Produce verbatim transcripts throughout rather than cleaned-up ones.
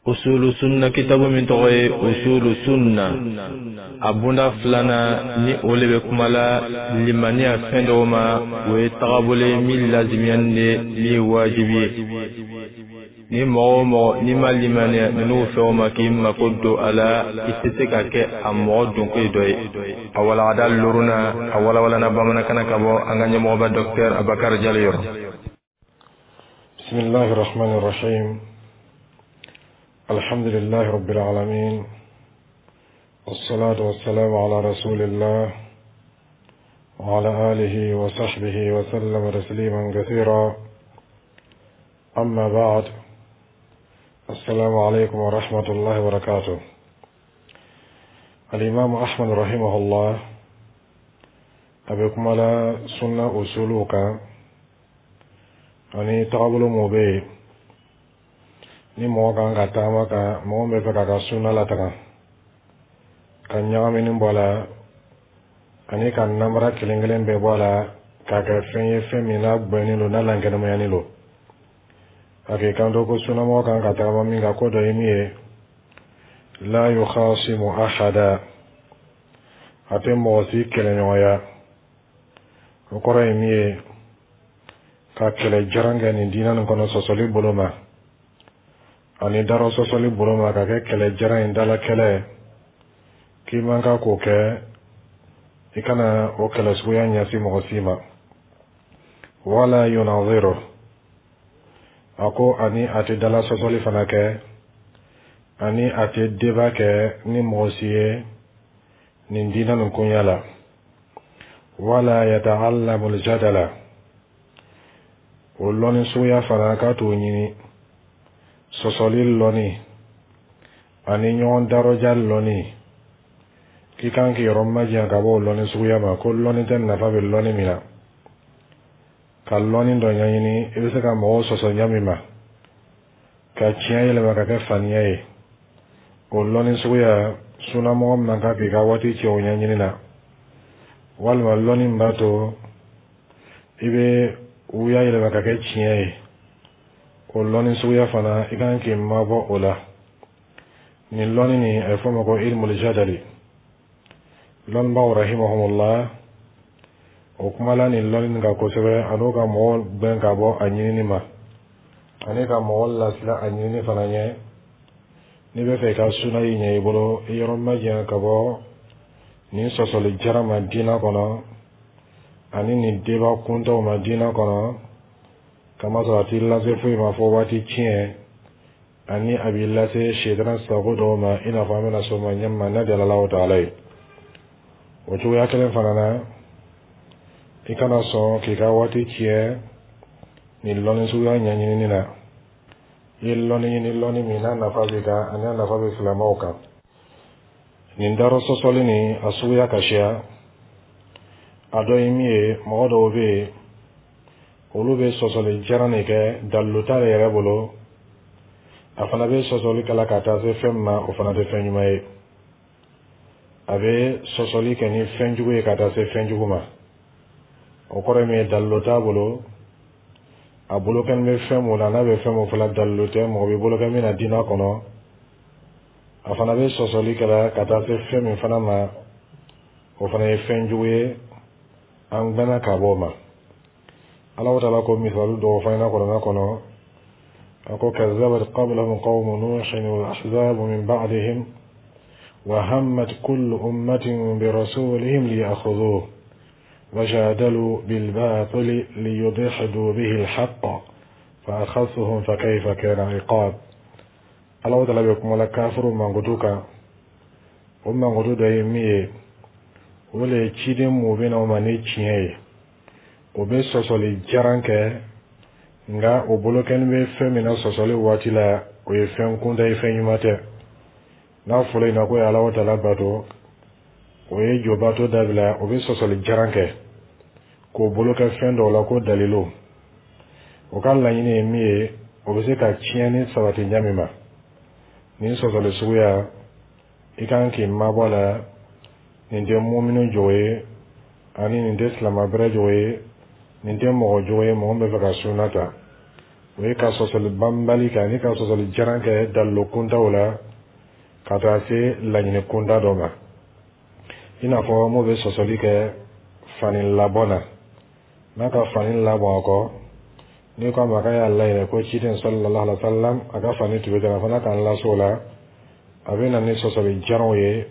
Usulu Sunna kitabu min tɔgɔ ye Usulu Sunna, a bunda filanan ni o le bɛ kuma la limaniya fɛn dɔw ma, o ye tagabolo ye min lazimiyani de, min ye wajibi ye. Ni mɔgɔ o mɔgɔ n'i ma limaniya ninnu fɛnw ma k'i mako don a la, i tɛ se ka kɛ a mɔgɔ donko dɔ ye. A walagada loruna, a walawalana bamanankan na ka bɔ an ka ɲɛmɔgɔba Docteur Abakar Jalo yɔrɔ. بسم الله الرحمن الرحيم. الحمد لله رب العالمين، والصلاة والسلام على رسول الله وعلى آله وصحبه وسلم تسليما كثيرا. أما بعد، السلام عليكم ورحمة الله وبركاته. الإمام أحمد رحمه الله a bɛ kuma la sunna usuluw kan ani tagabolo mun bɛ yen ni mɔgɔ kan ka taama kan, mɔgɔ min bɛ fɛ k'a ka sunna lataga ka ɲagamini bɔ a la ani ka namara kelen kelen bɛɛ bɔ a la k'a kɛ fɛn ye, fɛn min n'a gbɛnnen don, n'a lankɛnɛmayalen don. A k'i kanto ko sunnamɔgɔ kan ka tagama min kan, ko dɔ ye min ye: لا يخاصم أحدا, a tɛ mɔgɔ si kɛlɛɲɔgɔnya. O kɔrɔ ye min ye, ka kɛlɛ jaran kɛ nin diinɛ nin kɔnɔ sɔsɔli bolo ma ani darɔ sɔsɔli bolo ma, ka kɛ kɛlɛ jaran in dala kɛlɛ, k'i man kan k'o kɛ. I kana o kɛlɛ suguya ɲɛsin mɔgɔ si ma. ولا يناظر, a ko ani a tɛ dala sɔsɔli fana kɛ, ani a tɛ débat kɛ ni mɔgɔ si ye nin diinɛ nin koɲɛ la. ولا يتعلم الجدل, o lɔnni suguya fana k'a t'o ɲini, sɔsɔli lɔnni ani ɲɔgɔn darɔja lɔnni, k'i kan k'i yɔrɔ majanya ka bɔ o lɔnni suguya ma, ko lɔnni tɛ nafa bɛ lɔnni min na. Ka lɔnni dɔ ɲɛɲini i bɛ se ka mɔgɔw sɔsɔ ɲɛ min ma, ka tiɲɛ yɛlɛma ka kɛ faniya ye, o lɔnni suguya, sunnamɔgɔ man kan k'i ka waati cɛ o ɲɛɲini na, walima lɔnni min b'a to i bɛ wuya yɛlɛma ka kɛ tiɲɛ ye, o lɔnni suguya fana, i kan k'i mabɔ o la. Nin lɔnni nin, a bɛ fɔ o ma ko علم الجدل. Lɔnnibaaw رحمهم الله, o kumala nin lɔnni nin kan kosɛbɛ, a n'o ka mɔgɔw gbɛn ka bɔ a ɲinini ma ani ka mɔgɔ lasila a ɲinini fana ɲɛ. N'i bɛ fɛ i ka suna yi ɲɛ i bolo, i yɔrɔ majanya ka bɔ nin sɔsɔli jara ma diinɛ kɔnɔ ani nin débat kuntaw ma diinɛ kɔnɔ, kamasɔrɔ a t'i lase foyi ma fɔ waati tiɲɛ, ani a b'i lase sɛtana sago dɔw ma, i n'a fɔ an bɛna s'o ma ɲɛma n'a jala Alahu taala ye. O cogoya kelen fana na, i kana sɔn k'i ka waati tiɲɛ nin lɔnni suguya ɲɛɲinini na. I ye lɔnni ɲini, lɔnni min n'a nafa b'i kan ani a nafa bɛ silamɛw kan. Nin darɔ sɔsɔli nin, a suguya ka siya. A dɔ ye min ye, mɔgɔ dɔw bɛ yen, olu bɛ sɔsɔli jaran de kɛ, dalilu t'ale yɛrɛ bolo, a fana bɛ sɔsɔli kɛ la ka taa se fɛn min ma, o fana tɛ fɛn ɲuman ye. A bɛ sɔsɔli kɛ ni fɛn jugu ye ka taa se fɛn jugu ma. O kɔrɔ ye min ye, dalilu t'a bolo, a bolo kɛlen bɛ fɛn mun na, n'a bɛ fɛn mun fɔla, dalilu tɛ mɔgɔ b'i bolo kɛ min na diinɛ kɔnɔ. A fana bɛ sɔsɔli kɛ la ka taa se fɛn min fana ma, o fana ye fɛn jugu ye, an gbɛnna ka bɔ o ma. Ala taala ko misali dɔw fɔ an ɲɛna kuranɛ kɔnɔ. A ko: كذبت قبلهم قوم نوح والأحزاب من بعدهم وهمت كل أمة برسولهم ليأخذوه وجادلوا بالباطل ليدحضوا به الحق فأخذتهم فكيف كان عقاب. Ala taala bɛ kuma la kafiru mankutu kan. O mankutu dɔ ye min ye, o le ye ciden mun bɛ na o ma ni tiɲɛ ye, o bɛ sɔsɔli jaran kɛ, nka o bolo kɛlen bɛ fɛn min na sɔsɔli waati la, o ye fɛn kunta ye, fɛn ɲuman tɛ. N'a fɔra yen ko ye Ala taala bato, o ye jobato dabila, o bɛ sɔsɔli jaran kɛ k'o bolo kɛ fɛn dɔw la ko dalilu. O ka laɲini ye min ye, o bɛ se ka tiɲɛni sabati ɲɛ min ma. Nin sɔsɔli suguya, i kan k'i mabɔ a la. Nin tɛ muminu jogo ye, ani nin tɛ silamɛ bɛrɛ jogo ye, nin tɛ mɔgɔ jogo ye, mɔgɔ min bɛ fɛ ka sunna ta. O ye ka sɔsɔli banbali kɛ ani ka sɔsɔli jaran kɛ dalilu kuntaw la ka taa se laɲini kunda dɔ ma, i n'a fɔ m'o bɛ sɔsɔli kɛ fani labɔ na. N'a ka fani labɔ a kɔ, n'i ko a ma k'a y'a laɲini ko ciden sallallahu alaihi wa sallam a ka fani tun bɛ ten, a fana k'an las'o la, a bɛ na ni sɔsɔli jaranw ye,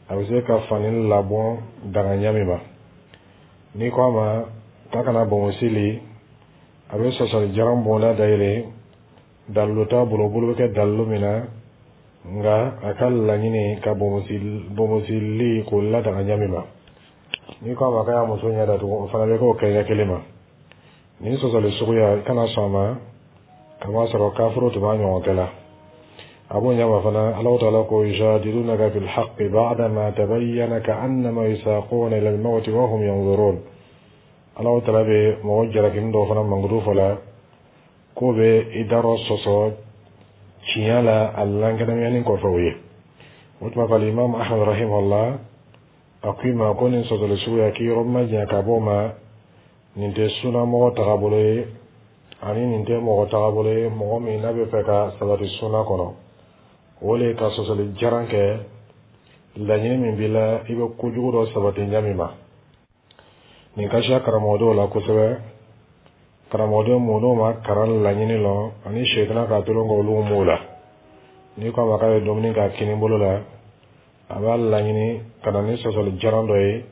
a bɛ se ka fani labɔ daga ɲɛ min ma. N'i ko a ma k'a kana bonbonsi li, a bɛ sɔsɔli jaran bonda dayɛlɛ, dalilu t'a bolo, bolo bɛ kɛ dalilu min na, nka a ka laɲini ka bonbonsi bonbonsili k'o ladaga ɲɛ min ma. N'i ko a ma k'a y'a muso ɲɛ datugu, o fana bɛ k'o kɛ ɲɛ kelen ma. Nin sɔsɔli suguya, i kana sɔn a ma, k'a sɔrɔ kafuru tun b'a ɲɔgɔn kɛ la. A b'o ɲɛma fana, Alahu taala ko: yujadilunaka fil haqqi ba'dama tabayyana ka'annama yusaquna ila al-mawti wa hum yanzurun. Alahu taala bɛ mɔgɔ jalakini dɔw fana mankutu fɔ la k'o bɛ i darɔ sɔsɔ tiɲɛ la a lankɛnɛmayani kɔfɛ o ye. O tuma fɔ, Alimami Ahmad rahimahullah a ko i ma ko nin sɔsɔli suguya, k'i yɔrɔ ma janya ka bɔ o ma. Nin tɛ sunamɔgɔ tagabolo ye, ani nin tɛ mɔgɔ tagabolo ye, mɔgɔ min n'a bɛ fɛ ka sabati suna kɔnɔ. O le ka sɔsɔli jaran kɛ laɲini min b'i la, i bɛ kojugu dɔ sabati ɲɛ min ma. Nin ka siya karamɔgɔdenw la kosɛbɛ, karamɔgɔden mun n'o ma karan laɲini lɔ ani sɛtana k'a tolon k'olu m'o la. N'i ko a ma k'a bɛ dumuni k'a kini bolo la, a b'a laɲini ka na ni sɔsɔli jaran dɔ ye.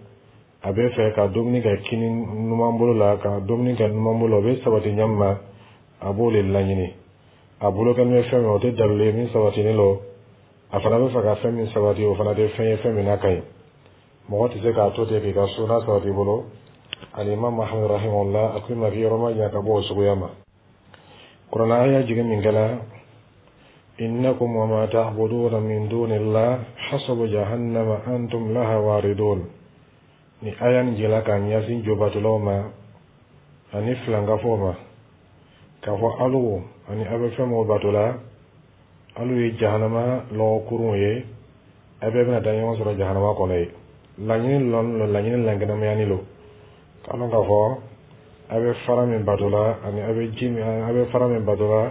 A bɛ fɛ ka dumuni kɛ kini numan bolo la, ka dumuni kɛ numan bolo, o bɛ sabati ɲɛ min ma, a b'o de laɲini. A bolo kɛlen bɛ fɛn min, o tɛ dalilu ye min sabatilen don. A fana bɛ fɛ ka fɛn min sabati, o fana tɛ fɛn ye fɛn min n'a ka ɲi. Mɔgɔ tɛ se k'a to ten k'i ka suna sabati i bolo. Alimami Muhamadu rahimahullah a ko i ma k'i yɔrɔ ma jan ka bɔ o suguya ma. Kuranɛ aya jigin min kɛla: innakum wa ma ta'buduna min dunillah hasabu jahannama antum laha waridun. Ni aya nin jigila k'a ɲɛsin jobatolaw ma ani filankafow ma, k'a fɔ alu ani aw bɛ fɛn min bato la, alu ye jahanama lɔgɔkurunw ye, a bɛɛ bɛna taa ɲɔgɔn sɔrɔ jahanama kɔnɔ ye. Laɲini lɔn lo, laɲini lankɛnɛmayani lo, k'a lɔn k'a fɔ a bɛ fara min bato la ani a bɛ ji min, a bɛ fara min bato la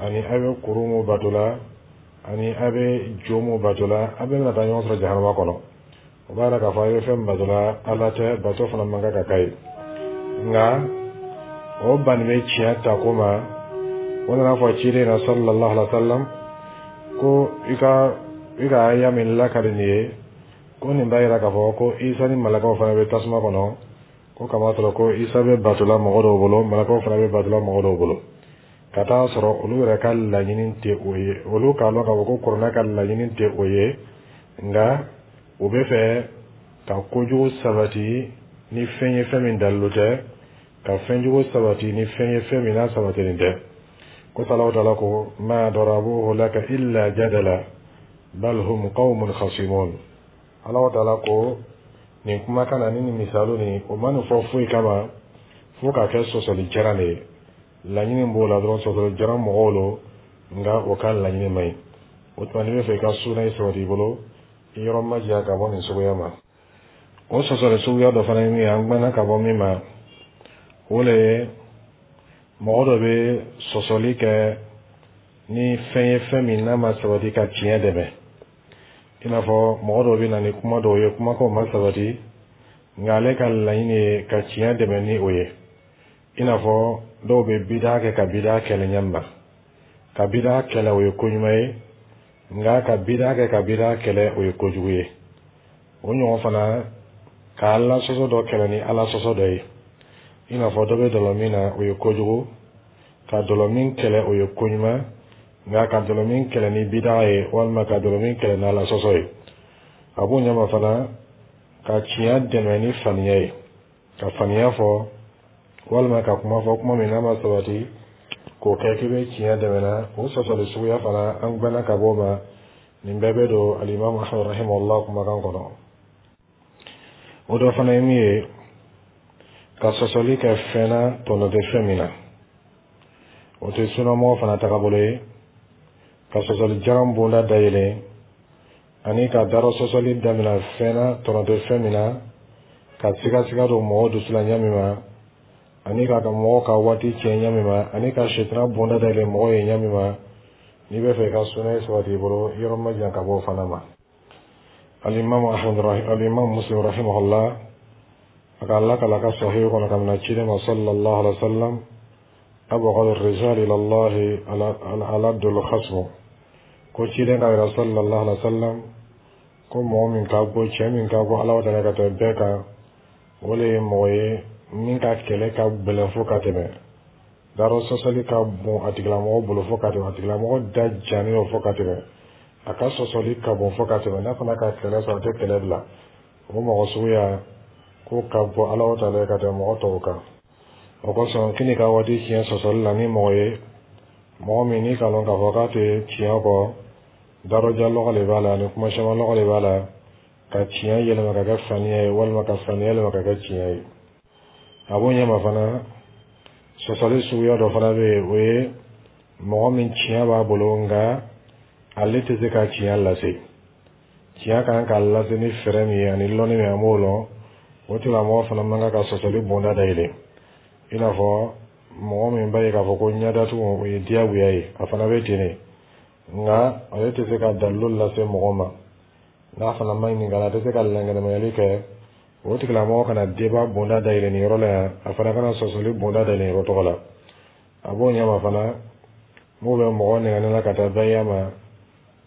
ani a bɛ kuru min bato la ani a bɛ jo min bato la, a bɛɛ bɛna taa ɲɔgɔn sɔrɔ jahanama kɔnɔ. O b'a yira k'a fɔ a bɛ fɛn min bato la, Ala tɛ, bato fana man kan ka k'a ye. Nka o banni bɛ tiɲɛ ta ko ma, o nana fɔ ciden na sallallahu alaihi wa sallam ko i ka i ka aya min lakali nin ye, ko nin b'a yira k'a fɔ ko Isa ni malakaw fana bɛ tasuma kɔnɔ, ko kama sɔrɔ ko Isa bɛ batola mɔgɔ dɔw bolo, malakaw fana bɛ batola mɔgɔ dɔw bolo, ka taa sɔrɔ olu yɛrɛ ka laɲini tɛ o ye. Olu k'a lɔn k'a fɔ ko kuranɛ ka laɲini tɛ o ye, nka u bɛ fɛ ka kojugu sabati ni fɛn ye fɛn min dalilu tɛ, ka fɛnjugu sabati ni fɛn ye fɛn min n'a sabatilen tɛ. Ko Alahu taala ko: ma darabuhu laka illa jadala bal hum qawmun khasimun. Alahu taala ko nin kumakan na ni nin misaliw nin, o ma nin fɔ foyi kama fo k'a kɛ sɔsɔli jaran de ye. Laɲini b'o la dɔrɔn, sɔsɔli jaran mɔgɔw lo, nka o ka laɲini man ɲi. O tuma, n'i bɛ fɛ i ka suna ye sabati i bolo, i yɔrɔ ma janya ka bɔ nin suguya ma. O sɔsɔli suguya dɔ fana ye min ye, an gbɛnna ka bɔ min ma, o le ye mɔgɔ dɔ bɛ sɔsɔli kɛ ni fɛn ye fɛn min n'a ma sabati ka tiɲɛ dɛmɛ, i n'a fɔ mɔgɔ dɔw bɛ na ni kuma dɔw ye, kumakanw ma sabati, nka ale ka laɲini ye ka tiɲɛ dɛmɛ ni o ye. I n'a fɔ dɔw bɛ bida kɛ ka bida kɛlɛ ɲɛ ma. Ka bida kɛlɛ, o ye ko ɲuman ye, nka ka bida kɛ ka bida kɛlɛ, o ye kojugu ye. O ɲɔgɔn fana, ka Ala sɔsɔ dɔ kɛlɛ ni Ala sɔsɔ dɔ ye, i n'a fɔ dɔ bɛ dɔlɔ min na, o ye kojugu. Ka dɔlɔ min kɛlɛ, o ye ko ɲuman, nka ka dɔlɔ min kɛlɛ ni bida ye walima ka dɔlɔ min kɛlɛ ni Ala sɔsɔ ye. A b'o ɲɛma fana, ka tiɲɛ dɛmɛ ni faniya ye, ka faniya fɔ walima ka kuma fɔ, kuma min n'a ma sabati, k'o kɛ k'i bɛ tiɲɛ dɛmɛ na, o sɔsɔli suguya fana, an gbɛnna ka bɔ o ma. Nin bɛɛ bɛ don Alimami Ahmad rahimahullah kumakan kɔnɔ. O dɔ fana ye min ye, ka sɔsɔli kɛ fɛn na tɔnɔ tɛ fɛn min na, o tɛ sunamɔgɔ fana tagabolo ye. Ka sɔsɔli jaran bonda dayɛlɛ ani ka darɔ sɔsɔli daminɛ fɛn na tɔnɔ tɛ fɛn min na, ka sigasiga don mɔgɔw dusu la ɲɛ min ma. Ani k'a ka mɔgɔw ka waati tiɲɛ ɲa min ma, ani ka sitana bonda dayɛlɛ mɔgɔw ye ɲa min ma, n'i bɛ fɛ i ka sunna sabati i bolo, yɔrɔ ma jan ka bɔ o fana ma. Alimami Ahmad, Alimami Muslim rahimahullah, a ka lakala ka sahih kɔnɔ ka mina ciden ma sallallahu alaihi wa sallam: abghadu rijal ila Allah aladul khasm. Ko ciden ka yira sallallahu alaihi wa sallam ko mɔgɔ min ka go, cɛ min ka go Ala ta ka tɛmɛ bɛɛ kan, o le ye mɔgɔ ye min ka kɛlɛ ka gɛlɛn fo ka tɛmɛ darɔ sɔsɔli ka bon a tigilamɔgɔ bolo fo ka tɛmɛ, a tigilamɔgɔ da jannen don fo ka tɛmɛ, a ka sɔsɔli ka bon fo ka tɛmɛ, n'a fana ka kɛlɛ sɔrɔ, a tɛ kɛlɛ bila. O mɔgɔ suguya ko ka bɔ Ala ta la ka tɛmɛ mɔgɔ tɔw kan. O kosɔn k'i ka waati tiɲɛ sɔsɔli la ni mɔgɔ ye, mɔgɔ min n'i ka lɔn k'a fɔ k'a tɛ tiɲɛ kɔ, darɔja lɔgɔ de b'a la ani kuma caman lɔgɔ de b'a la, ka tiɲɛ yɛlɛma ka kɛ faniya ye walima ka faniya yɛlɛma ka kɛ tiɲɛ ye. A b'o ɲɛma fana, sɔsɔli suguya dɔ fana bɛ yen, o ye mɔgɔ min tiɲɛ b'a bolo, nka ale tɛ se ka tiɲɛ lase. Tiɲɛ kan ka lase ni fɛɛrɛ min ye ani lɔnni min, an b'o lɔn, o tigilamɔgɔ fana man kan ka sɔsɔli bonda dayɛlɛ. I n'a fɔ mɔgɔ min b'a ye k'a fɔ ko ɲɛdatugu o ye diyagoya ye, a fana bɛ ten de, nka ale tɛ se ka dalilu lase mɔgɔ ma. N'a fana ma ɲininka, a tɛ se ka lankɛnɛmayali kɛ. O tigilamɔgɔ kana débat bonda dayɛlɛ nin yɔrɔ la yan, a fana kana sɔsɔli bonda dayɛlɛ nin yɔrɔ tɔgɔ la. A b'o ɲɛma fana, m'o bɛ mɔgɔ nɛgɛnni la ka taa baya ma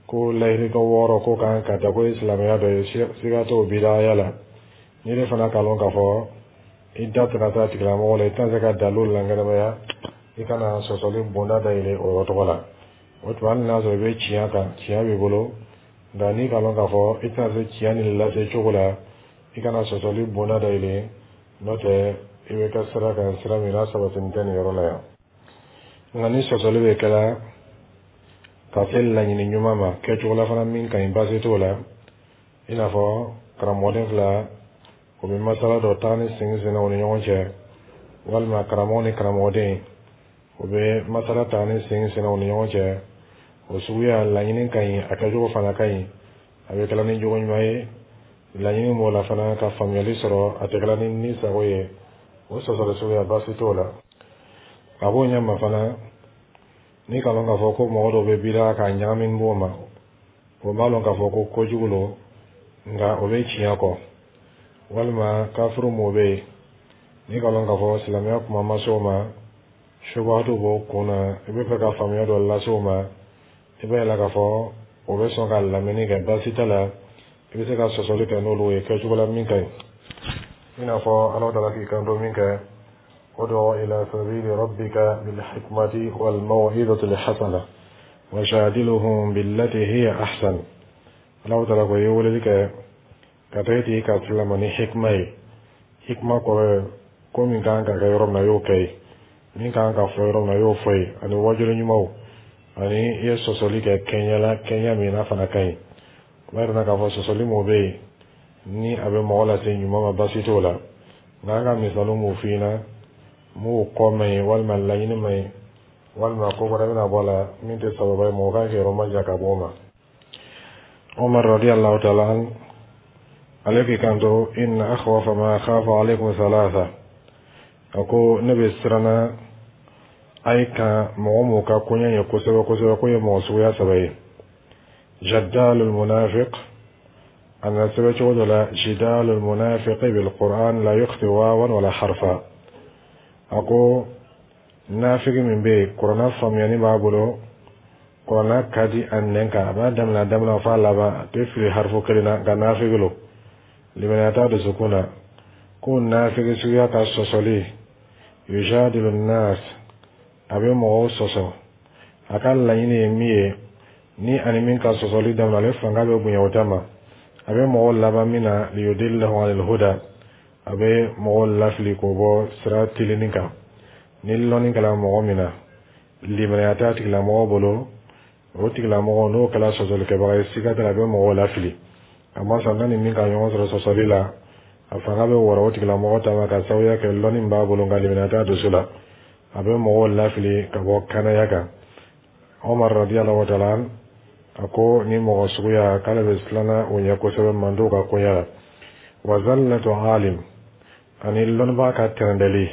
ko lahirika wɔɔrɔ ko kan ka taa ko ye silamɛya dɔ ye, siga t'o bidaya la. N'i de fana k'a lɔn k'a fɔ i da tɛna taa tigilamɔgɔ la, i tɛna se ka dalilu lankɛnɛmaya, i kana sɔsɔli bonda dayɛlɛ o yɔrɔ tɔgɔ la. O tuma, hali n'a sɔrɔ i bɛ tiɲɛ kan, tiɲɛ b'i bolo, nka n'i k'a lɔn k'a fɔ i tɛna se tiɲɛ nin lase cogo la, i kana sɔsɔli bonda dayɛlɛ, n'o tɛ i bɛ kɛ sira kan, sira min n'a sabatini tɛ nin yɔrɔ la yan. Nka ni sɔsɔli bɛ kɛla ka se laɲini ɲuman ma, kɛcogo la fana min ka ɲi, baasi t'o la. I n'a fɔ karamɔgɔden fila o bɛ masala dɔ taa ni segin senna u ni ɲɔgɔn cɛ, walima karamɔgɔ ni karamɔgɔden o bɛ masala taa ni segin senna u ni ɲɔgɔn cɛ, o suguya laɲini ka ɲi, a kɛcogo fana ka ɲi, a bɛ kɛla ni jogo ɲuman ye. Laɲini b'o la fana ka faamuyali sɔrɔ, a tɛ kɛla ni ni sago ye. O sɔsɔli suguya, baasi t'o la. A b'o ɲɛ ma fana, n'i ka lɔn k'a fɔ ko mɔgɔ dɔw bɛ bida k'a ɲagami b'o ma, o b'a lɔn k'a fɔ ko kojugu lo, nka o bɛ tiɲɛ kɔ, walima kafiru mɔgɔ bɛ yen, n'i ka lɔn k'a fɔ silamɛya kuma ma se o ma, subahatu b'o kun na, i bɛ fɛ ka faamuya dɔ lase o ma, i b'a yira k'a fɔ o bɛ sɔn ka lamɛnni kɛ, baasi t'a la, i bɛ se ka sɔsɔli kɛ n'olu ye kɛcogo la min ka ɲi. I n'a fɔ Ala taala k'i kanto min kɛ: ادع إلى سبيل ربك بالحكمة والموعظة الحسنة وجادلهم بالتي هي أحسن. Ala taala ko i ye weleli kɛ ka taa i ka silama ni hikma ye. Hikma kɔrɔ ye ko min kan ka kɛ yɔrɔ min na, i y'o kɛ ye, min kan ka fɔ yɔrɔ min na, i y'o fɔ ye, ani wajuli ɲumanw, ani i ye sɔsɔli kɛ kɛɲɛ la, kɛɲɛ min n'a fana ka ɲi. O b'a yira k'a fɔ sɔsɔli mun bɛ yen ni a bɛ mɔgɔ lase ɲuman ma, baasi t'o la. Nka an ka misaliw m'o f'i ɲɛna, m'o kɔ man ɲi, walima laɲini man ɲi, walima ko wɛrɛ bɛna bɔ a la min tɛ sababa ye, mɔgɔ kan k'i yɔrɔ ma jan ka bɔ o ma. Umar radiyallahu ta'ala an, ale k'i kanto: inna akhwafa ma akhafu alaykum thalatha. A ko ne bɛ siranna a ye kan mɔgɔ m'o ka koɲɛ ye kosɛbɛ kosɛbɛ, k'o ye mɔgɔ suguya saba ye: jaddalul munafiq. A nana sɛbɛn cogo dɔ la: jidalul munafiqi bil qur'an la yukhti wawan wala harfa. A ko nafigi min bɛ yen, kuranna faamuyani b'a bolo, kuranna ka di a nɛn kan, a b'a daminɛ a daminɛ f'a laban, a tɛ fili harifu kelen na, nka nafigi lo, limaniya t'a dusukun na. Ko nafigi suguya ka sɔsɔli, yujadilu nas, a bɛ mɔgɔw sɔsɔ, a ka laɲini ye min ye, ni ani min ka sɔsɔli daminɛ, ale fanga bɛ bonya o ta ma, a bɛ mɔgɔw laban min na, liyudillahu anil huda, a bɛ mɔgɔw lafili k'o bɔ sira tilenni kan. Ni lɔnni kɛra mɔgɔ min na, limaniya t'a tigilamɔgɔ bolo, o tigilamɔgɔ n'o kɛra sɔsɔlikɛbaga ye, siga t'a la, a bɛ mɔgɔw lafili. A ma sɔn n'a ni min ka ɲɔgɔn sɔrɔ sɔsɔli la, a fanga bɛ wɔrɔ o tigilamɔgɔ ta ma, ka sababuya kɛ lɔnni b'a bolo, nka limaniya t'a dusu la, a bɛ mɔgɔw lafili ka bɔ kanaya kan. Omar radiyallahu ta'ala a ko ni mɔgɔ suguya k'ale bɛ siranna o ɲɛ kosɛbɛ mandenw ka koɲɛ la. Wa zallatu alim, ani lɔnnibaga ka tɛrɛndɛli.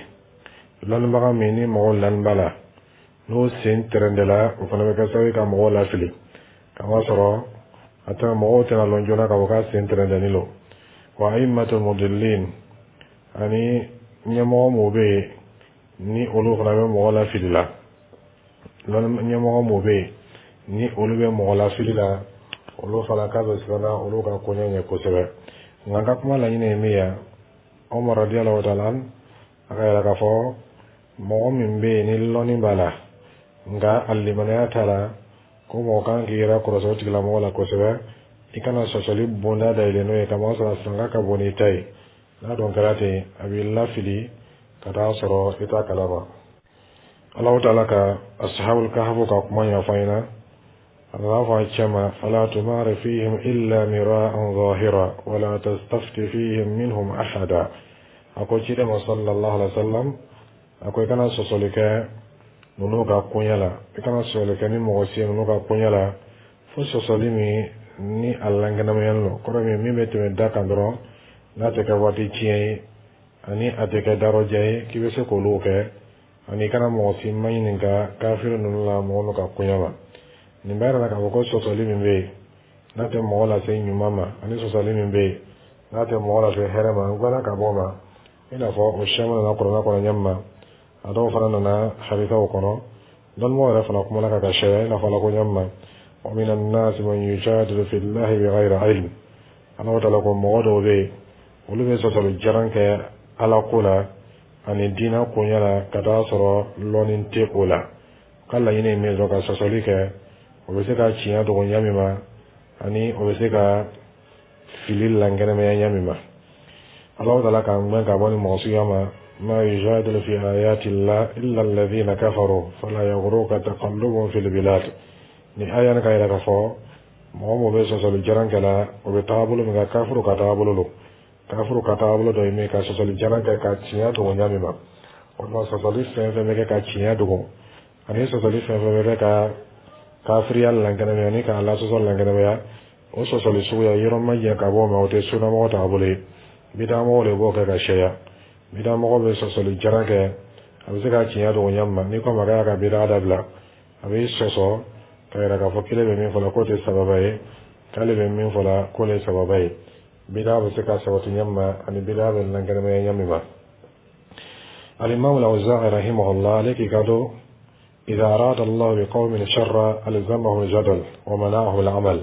Lɔnnibaga min ni mɔgɔw lani b'a la, n'o sen tɛrɛndɛla, o fana bɛ kɛ sababu ye ka mɔgɔw lafili, kamasɔrɔ a tɛ mɔgɔw tɛna lɔn joona k'a fɔ k'a sen tɛrɛndɛni lo. Wa a'immatul mudillin, ani ɲɛmɔgɔ m'o bɛ yen ni olu fana bɛ mɔgɔ lafili la, ɲɛmɔgɔ m'o bɛ yen ni olu bɛ mɔgɔ lafili la, olu fana k'a bɛ siranna olu ka koɲɛ ɲɛ kosɛbɛ. Nka n ka kuma laɲini ye min ye, Umar radiyallahu ta'ala a ka yira k'a fɔ mɔgɔ min bɛ yen ni lɔnni b'a la nka a limaniya t'a la, ko mɔgɔ kan k'i yɛrɛ kɔlɔsi o tigilamɔgɔ la kosɛbɛ. I kana sɔsɔli bonda dayɛlɛ n'o ye, kamasɔrɔ a sanga ka bon n'i ta ye. N'a dɔn kɛra ten, a b'i lafili ka taa sɔrɔ i t'a kalama. Alahu taala ka ashabul kahfu ka kuma ɲɛfɔ an ɲɛna. A nana fɔ a cɛ ma: fala tumari fihim illa mira'an zahira wala tastafti fihim minhum ahada. A ko ciden ma sallallahu alaihi wa sallam, a ko i kana sɔsɔli kɛ ninnu ka koɲɛ la, i kana sɔsɔli kɛ ni mɔgɔ si ye ninnu ka koɲɛ la, fo sɔsɔli min ni a lankɛnɛmayalen don, kɔrɔ min min bɛ tɛmɛ da kan dɔrɔn, n'a tɛ kɛ waati tiɲɛ ye ani a tɛ kɛ darɔjɛ ye, k'i bɛ se k'olu kɛ, ani i kana mɔgɔ si ma ɲininka kafiri ninnu la mɔgɔ min ka koɲɛ ma. Nin b'a yira k'a fɔ ko sɔsɔli min bɛ yen n'a tɛ mɔgɔ lase ɲuman ma, ani sɔsɔli min bɛ yen n'a tɛ mɔgɔ lase hɛrɛ ma, n gbɛnna ka bɔ o ma. I n'a fɔ o siyaman nana kuranɛ kɔnɔ ɲɛ min ma, a dɔw fana nana hadisaw kɔnɔ, dɔnnibagaw yɛrɛ fana kumana ka ka sariya, i n'a fɔ ala ko ɲɛ min ma: wa mina nasi man yujadilu fillahi bighayri ilm. Ala taala ko mɔgɔ dɔw bɛ yen, olu bɛ sɔsɔli jaran kɛ ala ko la ani diinɛ koɲɛ la ka taa sɔrɔ lɔnni tɛ o la. Ka laɲini ye min ye dɔrɔn, ka sɔsɔli kɛ, o bɛ se ka tiɲɛ dogo ɲɛ min ma, ani o bɛ se ka fili lankɛnɛmaya ɲɛ min ma. Alahu taala k'an gbɛn ka bɔ ni mɔgɔ suguya ma: ma yujadilu fi ayati llah illa alladhina kafaru fala yaghurruka taqallubuhum fil bilad. Ni aya nin ka yira k'a fɔ mɔgɔ mɔgɔ bɛ sɔsɔli jaran kɛ la, o bɛ taabolo min kan, kafiru ka taabolo don. Kafiru ka taabolo dɔ ye min ka sɔsɔli jaran kɛ ka tiɲɛ dogo ɲɛ min ma. O tuma sɔsɔli fɛn fɛn bɛ kɛ ka tiɲɛ dogo, ani sɔsɔli fɛn fɛn bɛ kɛ ka kafiriya lankɛnɛmaya ni k'a lasɔsɔ lankɛnɛmaya, o sɔsɔli suguya yɔrɔ ma jɛ ka bɔ o ma, o tɛ sunnamɔgɔ taabolo ye. Bidamɔgɔw de b'o kɛ ka sɛya. Bidamɔgɔ bɛ sɔsɔli jaran kɛ, a bɛ se ka tiɲɛ dogo ɲɛ min ma. N'i ko a ma k'a ka bida dabila, a b'i sɔsɔ ka yira k'a fɔ k'ele bɛ min fɔ la k'o tɛ sababa ye, k'ale bɛ min fɔ la k'o le ye sababa ye. Bida bɛ se ka sabati ɲɛ min ma, ani bida bɛ lankɛnɛmaya ɲɛ min ma. Alimamu Lawza'i rahimahullah, ale k'i kanto: idha arada Allah bi qawmin sharra alzamahum jadal wa mana'ahum al-amal.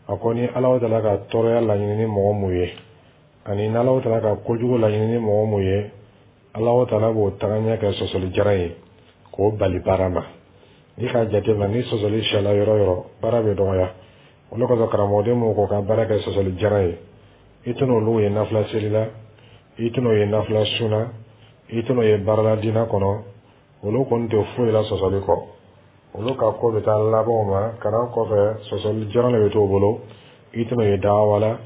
A ko ni Ala taala ka tɔɔrɔya laɲini ni mɔgɔ mun ye, ani n'Ala taala ka kojugu laɲini ni mɔgɔ mun ye, Ala taala b'o tagaɲɛ kɛ sɔsɔli jaran ye k'o bali baara ma. N'i k'a jateminɛ, ni sɔsɔli siyala yɔrɔ yɔrɔ, baara bɛ dɔgɔya. Olu kosɔn karamɔgɔden mun ko ka baara kɛ sɔsɔli jaran ye, i tɛna olu ye nafila seli la, i tɛna o ye nafila sun na, i tɛna o ye baarala diinɛ kɔnɔ. Olu kɔni tɛ foyi la sɔsɔli kɔ. Olu ka ko bɛ taa laban o ma kalan kɔfɛ, sɔsɔli jaran de bɛ t'o bolo. I tɛna o ye dawa la,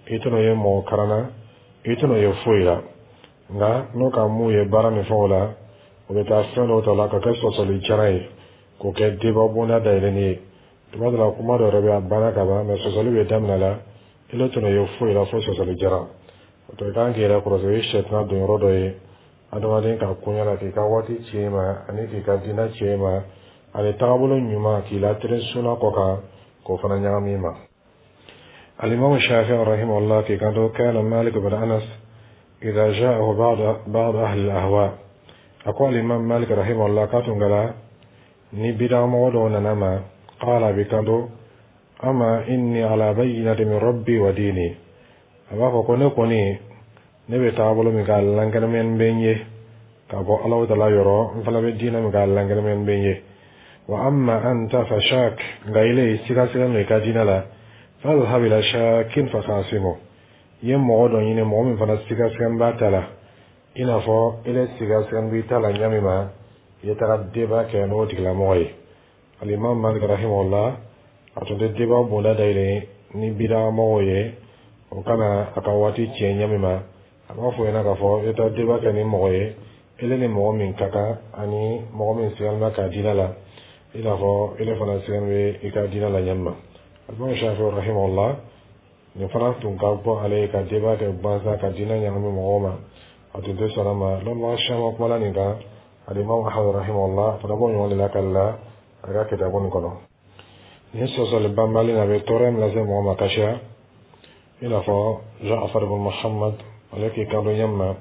i tɛna o ye mɔgɔ karan na, i tɛna o ye foyi la. Nka n'o ka mun ye baara ni fɛnw la, o bɛ taa fɛn dɔw ta la ka kɛ sɔsɔli jaran ye, k'o kɛ débat bonda dayɛlɛnni ye. Tuma dɔ la, kuma dɔ yɛrɛ bɛ a banna ka ban, mɛ sɔsɔli bɛ daminɛ la, i tɛna ye foyi la fo sɔsɔli jaran. O to i kan k'i yɛrɛ kɔlɔsi, o ye sɛtana don yɔrɔ dɔ ye adamaden ka koɲɛ la, k'i ka waati tiɲɛ ma, ani k'i ka diinɛ tiɲɛ ma, ani taabolo ɲuman k'i latɛrɛ sunna kɔ kan, k'o fana ɲagami i ma. الإمام الشافعي رحمه الله k'i kanto: كان مالك بن أنس إذا جاءه بعض بعض أهل الأهواء. أقول الإمام مالك رحمه الله كاتون ni bida mɔgɔ dɔw nana ma, قال b'i kanto: أما إني على بينة من ربي وديني. A b'a fɔ ko ne kɔni ne bɛ taabolo min k'a lankɛnɛmɛni bɛ n ye ka bɔ Alahu taala yɔrɔ, n fana bɛ diinɛ min k'a lankɛnɛmɛni bɛ n ye. Wa amma anta fashak, nka ile siga siga no i ka diinɛ la, fadhhab ila shakin fakhasimu. I ye mɔgɔ dɔ ɲini, mɔgɔ min fana siga siga b'a ta la i n'a fɔ ile siga siga b'i ta la ɲɛ min ma, i ye taga débat kɛ n'o tigilamɔgɔ ye. Alimam Malik rahimahullah, a tun tɛ débat bonda dayɛlɛ ni bidamɔgɔw ye, o kana a ka waati tiɲɛ ɲɛ min ma. A b'a fɔ ɲɛna k'a fɔ i taa débat kɛ ni mɔgɔ ye, ele ni mɔgɔ min ka kan, ani mɔgɔ min sigan bɛ ka diinɛ la i n'a fɔ ele fana sigan bɛ i ka diinɛ la ɲɛ min ma. Alimam Shafi rahimahullah, nin fana tun ka bɔ ale ye ka débat kɛ gansan ka diinɛ ɲagami mɔgɔw ma. A tun tɛ sɔn a ma. Lɔnbaga caman kumala nin kan. Alimami Ahmad rahimahullah fana b'o ɲɔgɔn de lakali la a ka kitabu nin kɔnɔ. Nin sɔsɔli banbali in, a bɛ tɔɔrɔ min lase mɔgɔ ma ka siya, i n'a fɔ Ja'far ibn Muhammad, ale k'i kanto ɲɛ ma: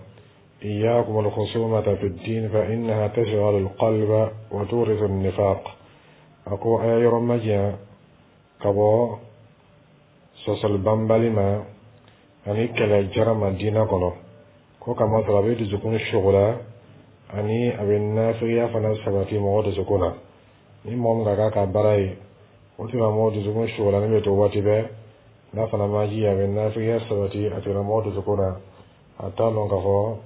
إياكم الخصومة في الدين فإنها تشغل القلب وتورث النفاق. A ko a y'a yɔrɔ majanya ka bɔ sɔsɔli banbali ma ani kɛlɛ jara ma diinɛ kɔnɔ, ko kamasɔrɔ a bɛ dusukun sogola ani a bɛ nafigiya fana sabati mɔgɔ dusukun na. Ni mɔgɔ min ka k'a ka baara ye, o tigilamɔgɔ dusukun sogolani bɛ to waati bɛɛ. N'a fana ma ji, a bɛ nafigiya sabati a tigilamɔgɔ dusukun na. A t'a lɔn k'a fɔ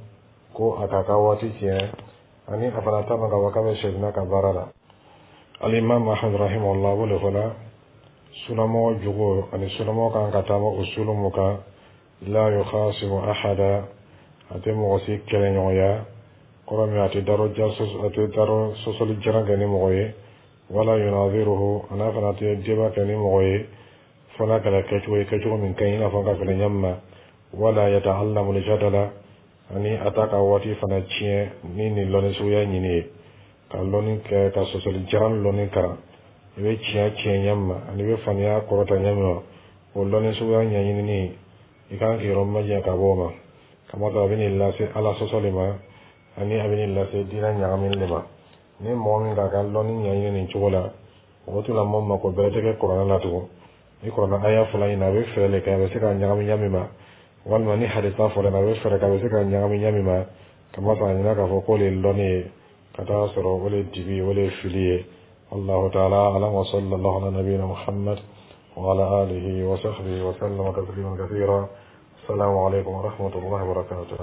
ko a k'a ka waati tiɲɛ, ani a fana t'a lɔn k'a fɔ k'a bɛ sɛdina ka baara la. Alimami Ahmad rahimahullah b'o de fɔ la sunamɔgɔ jugu ani sunamɔgɔ kan ka taama usulu mun kan: la yukhasimu ahada, a tɛ mɔgɔ si kɛlɛɲɔgɔnya, kɔrɔ min a tɛ daro a tɛ daro sɔsɔli jaran kɛ ni mɔgɔ ye, wala yunaziruhu, a n'a fana tɛ débat kɛ ni mɔgɔ ye, fo n'a kɛra kɛcogo ye, kɛcogo min ka ɲi, i n'a fɔ ka fɛnɛ ɲɛ ma, wala yata'allamu al-jadala, ani a t'a ka waati fana tiɲɛ ni nin lɔnni suguya ɲini ye, ka lɔnni kɛ, ka sɔsɔli jaran lɔnni kalan. I bɛ tiɲɛ tiɲɛ ɲɛ ma ani i bɛ faniya kɔrɔta ɲɛ ma, o lɔnni suguya ɲɛɲinini, i kan k'i yɔrɔ majanya ka bɔ o ma, kamasɔrɔ a bɛ n'i lase Ala sɔsɔli ma ani a bɛ n'i lase diinɛ ɲagamini de ma. Ni mɔgɔ min k'a ka lɔnni ɲɛɲini nin cogo la, o tigilamɔgɔ mako bɛrɛ tɛ kɛ kuranɛ la tugun. Ni kuranɛ aya fɔla ɲɛna, a bɛ fɛɛrɛ de kɛ a bɛ se ka ɲagami ɲa min ma, walima ni hadisa fɔra a bɛ fɛɛrɛ kɛ a bɛ se ka ɲagami ɲa min ma, kamasɔrɔ a ɲinɛ k'a fɔ k'o de ye lɔnni ye, ka taa sɔrɔ o de ye dibi, o de ye fili ye. والله تعالى أعلم، وصلى الله على نبينا محمد وعلى آله وصحبه وسلم تسليما كثيرا. السلام عليكم ورحمة الله وبركاته.